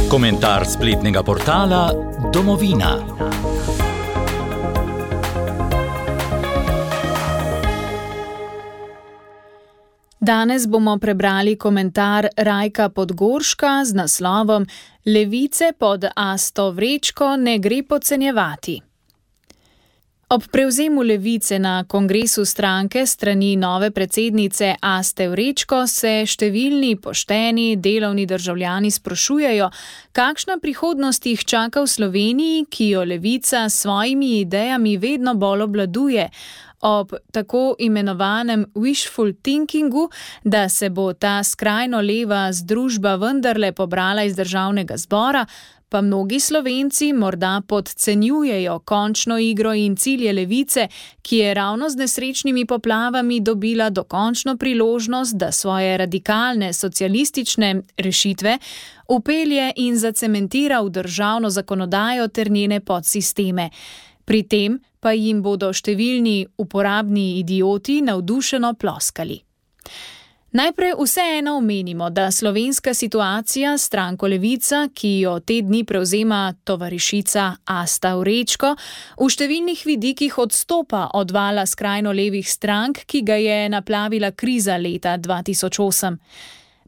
Komentar spletnega portala Domovina. Danes bomo prebrali komentar Rajka Podgorška z naslovom Levice pod Asto Vrečko ne gre podcenjevati. Ob prevzemu Levice na kongresu stranke strani nove predsednice Aste Vrečko se številni pošteni delovni državljani sprašujejo, kakšna prihodnost jih čaka v Sloveniji, ki jo Levica s svojimi idejami vedno bolj obvladuje, ob tako imenovanem wishful thinkingu, da se bo ta skrajno leva združba vendarle pobrala iz državnega zbora, pa mnogi Slovenci morda podcenjujejo končno igro in cilje Levice, ki je ravno z nesrečnimi poplavami dobila dokončno priložnost, da svoje radikalne socialistične rešitve vpelje in zacementira v državno zakonodajo ter njene podsisteme. Pri tem pa jim bodo številni uporabni idioti navdušeno ploskali. Najprej vseeno omenimo, da slovenska situacija s stranko Levica, ki jo te dni prevzema tovarišica Asta Vrečko, v številnih vidikih odstopa od vala skrajno levih strank, ki ga je naplavila kriza leta 2008.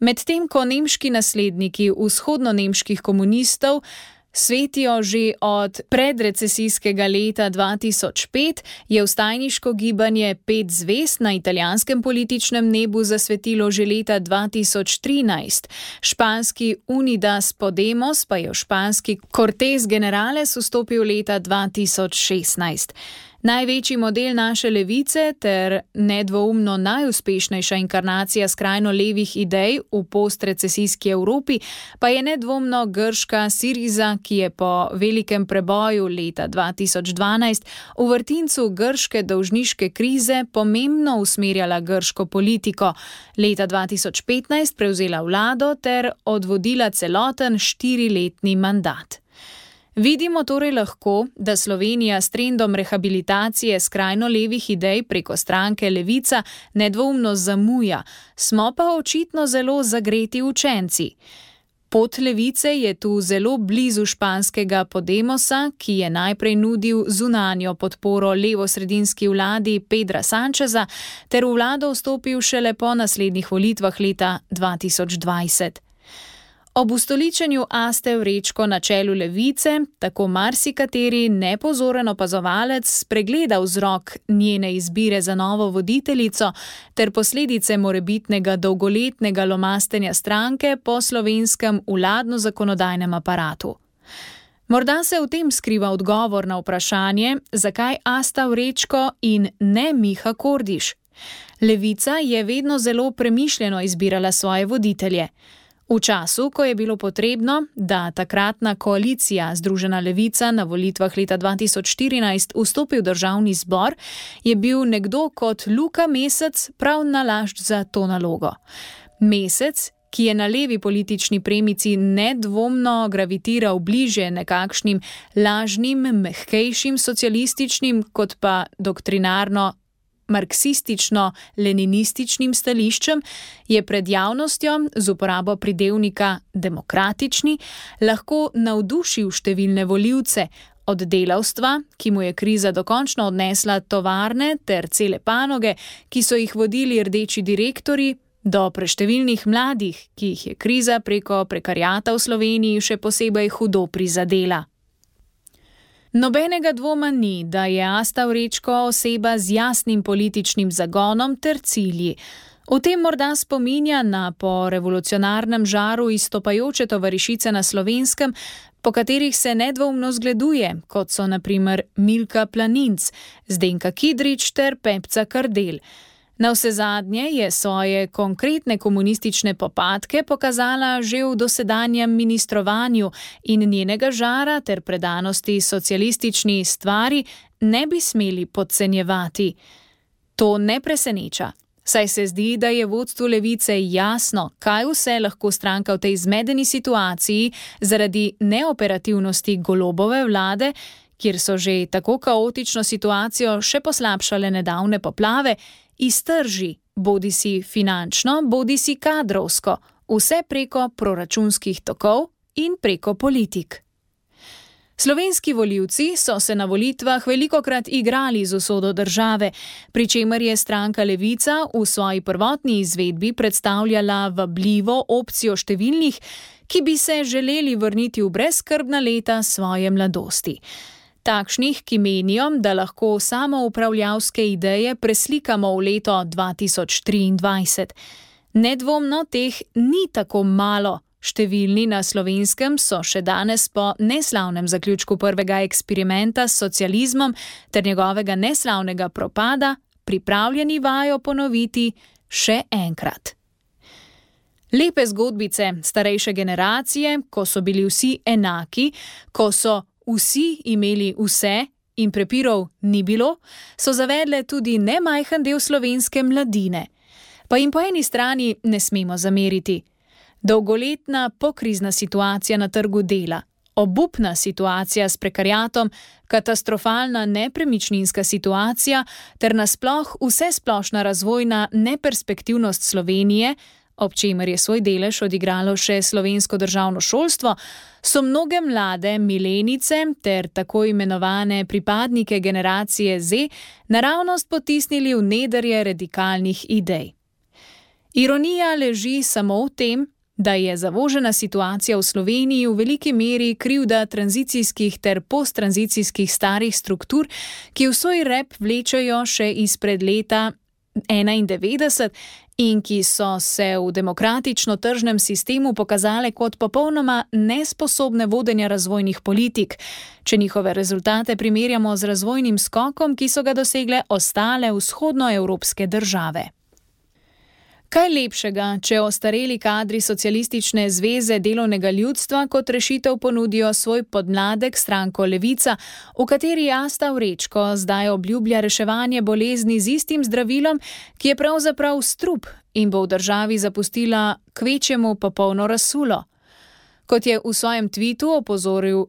Medtem ko nemški nasledniki vzhodno-nemških komunistov svetijo že od predrecesijskega leta 2005, je vstajniško gibanje 5 zvezd na italijanskem političnem nebu zasvetilo že leta 2013. Španski Unidas Podemos pa je v španski Cortes Generales vstopil leta 2016. Največji model naše levice ter nedvoumno najuspešnejša inkarnacija skrajno levih idej v postrecesijski Evropi pa je nedvomno grška Siriza, ki je po velikem preboju leta 2012 v vrtincu grške dolžniške krize pomembno usmerjala grško politiko, leta 2015 prevzela vlado ter odvodila celoten 4-letni mandat. Vidimo torej lahko, da Slovenija s trendom rehabilitacije skrajno levih idej preko stranke Levica nedvoumno zamuja, smo pa očitno zelo zagreti učenci. Pot Levice je tu zelo blizu španskega Podemosa, ki je najprej nudil zunanjo podporo levosredinski vladi Pedra Sancheza ter v vlado vstopil šele po naslednjih volitvah leta 2020. Ob ustoličenju Aste Vrečko na čelu Levice, tako marsikateri nepozoren opazovalec spregleda vzrok njene izbire za novo voditeljico ter posledice morebitnega dolgoletnega lomastenja stranke po slovenskem vladno-zakonodajnem aparatu. Morda se v tem skriva odgovor na vprašanje, zakaj Asta Vrečko in ne Miha Kordiš. Levica je vedno zelo premišljeno izbirala svoje voditelje. V času, ko je bilo potrebno, da takratna koalicija Združena levica na volitvah leta 2014 vstopi v državni zbor, je bil nekdo kot Luka Mesec prav nalašč za to nalogo. Mesec, ki je na levi politični premici nedvomno gravitiral bliže nekakšnim lažnim, mehkejšim socialističnim kot pa doktrinarno marksistično-leninističnim stališčem, je pred javnostjo z uporabo pridevnika demokratični lahko navdušil številne volivce, od delavstva, ki mu je kriza dokončno odnesla tovarne ter cele panoge, ki so jih vodili rdeči direktorji, do preštevilnih mladih, ki jih je kriza preko prekariata v Sloveniji še posebej hudo prizadela. Nobenega dvoma ni, da je Asta Vrečko oseba z jasnim političnim zagonom ter cilji. V tem morda spominja na po revolucionarnem žaru izstopajoče tovarišice na Slovenskem, po katerih se nedvoumno zgleduje, kot so na primer Milka Planinc, Zdenka Kidrič ter Pepca Kardel. Navsezadnje je svoje konkretne komunistične popadke pokazala že v dosedanjem ministrovanju in njenega žara ter predanosti socialistični stvari ne bi smeli podcenjevati. To ne preseneča, saj se zdi, da je vodstvu Levice jasno, kaj vse lahko stranka v tej zmedeni situaciji zaradi neoperativnosti Golobove vlade, kjer so že tako kaotično situacijo še poslabšale nedavne poplave, iztrži, bodisi finančno, bodisi kadrovsko, vse preko proračunskih tokov in preko politik. Slovenski volivci so se na volitvah velikokrat igrali z usodo države, pri čemer je stranka Levica v svoji prvotni izvedbi predstavljala vabljivo opcijo številnih, ki bi se želeli vrniti v brezskrbna leta svoje mladosti. Takšnih, ki menijo, da lahko samoupravljavske ideje preslikamo v leto 2023. Nedvomno teh ni tako malo. Številni na Slovenskem so še danes po neslavnem zaključku prvega eksperimenta s socializmom ter njegovega neslavnega propada pripravljeni vajo ponoviti še enkrat. Lepe zgodbice starejše generacije, ko so bili vsi enaki, ko so vsi imeli vse in prepirov ni bilo, so zavedle tudi nemajhen del slovenske mladine. Pa jim po eni strani ne smemo zameriti. Dolgoletna pokrizna situacija na trgu dela, obupna situacija s prekariatom, katastrofalna nepremičninska situacija ter nasploh vsesplošna razvojna neperspektivnost Slovenije, ob čemer je svoj delež odigralo še slovensko državno šolstvo, so mnoge mlade milenice ter tako imenovane pripadnike generacije Z naravnost potisnili v nedrje radikalnih idej. Ironija leži samo v tem, da je zavožena situacija v Sloveniji v veliki meri krivda tranzicijskih ter posttranzicijskih starih struktur, ki v svoj rep vlečejo še izpred leta 1991 in ki so se v demokratično tržnem sistemu pokazale kot popolnoma nesposobne vodenja razvojnih politik, če njihove rezultate primerjamo z razvojnim skokom, ki so ga dosegle ostale vzhodnoevropske države. Kaj lepšega, če ostareli kadri Socialistične zveze delovnega ljudstva kot rešitev ponudijo svoj podmladek stranko Levica, v kateri Asta Vrečko zdaj obljublja reševanje bolezni z istim zdravilom, ki je pravzaprav strup in bo v državi zapustila kvečjemu popolno razsulo. Kot je v svojem tvitu opozoril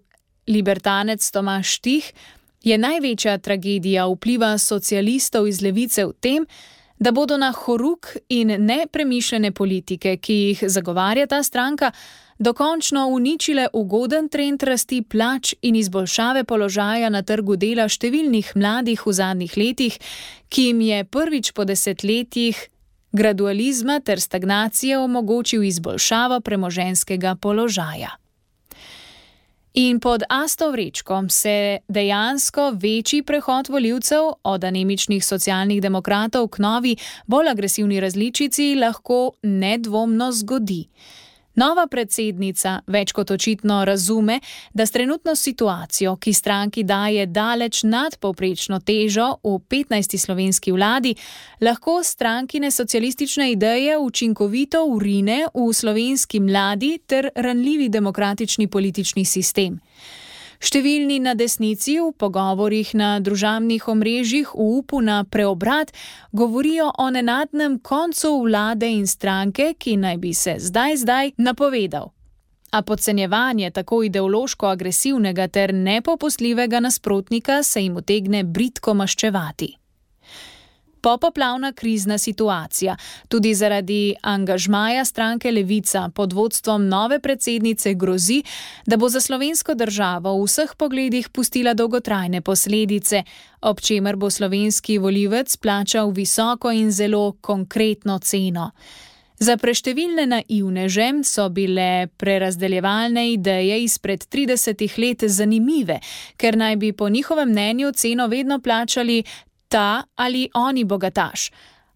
libertanec Tomaž Štih, je največja tragedija vpliva socialistov iz Levice v tem, da bodo na horuk in nepremišljene politike, ki jih zagovarja ta stranka, dokončno uničile ugoden trend rasti plač in izboljšave položaja na trgu dela številnih mladih v zadnjih letih, ki jim je prvič po desetletjih gradualizma ter stagnacije omogočil izboljšavo premoženjskega položaja. In pod Asto Vrečko se dejansko večji prehod volivcev od anemičnih socialnih demokratov k novi, bolj agresivni različici lahko nedvomno zgodi. Nova predsednica več kot očitno razume, da s trenutno situacijo, ki stranki daje daleč nadpovprečno težo v 15. slovenski vladi, lahko strankine socialistične ideje učinkovito vrine v slovenski mladi ter ranljivi demokratični politični sistem. Številni na desnici v pogovorih na družabnih omrežjih v upu na preobrat govorijo o nenadnem koncu vlade in stranke, ki naj bi se zdaj napovedal. A podcenjevanje tako ideološko agresivnega ter nepopustljivega nasprotnika se jim utegne bridko maščevati. Popoplavna krizna situacija, tudi zaradi angažmaja stranke Levica pod vodstvom nove predsednice grozi, da bo za slovensko državo v vseh pogledih pustila dolgotrajne posledice, ob čemer bo slovenski volivec plačal visoko in zelo konkretno ceno. Za preštevilne naivneže so bile prerazdeljevalne ideje izpred 30 let zanimive, ker naj bi po njihovem mnenju ceno vedno plačali ta ali oni bogataš.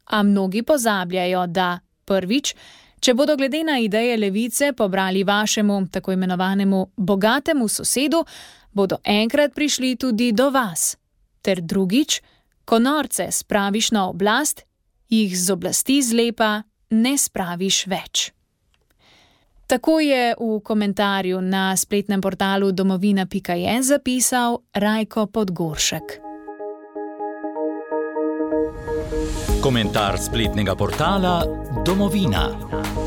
A mnogi pozabljajo, da prvič, če bodo glede na ideje Levice pobrali vašemu tako imenovanemu bogatemu sosedu, bodo enkrat prišli tudi do vas. Ter drugič, ko norce spraviš na oblast, jih z oblasti zlepa ne spraviš več. Tako je v komentarju na spletnem portalu domovina.je zapisal Rajko Podgoršek. Komentar spletnega portala Domovina.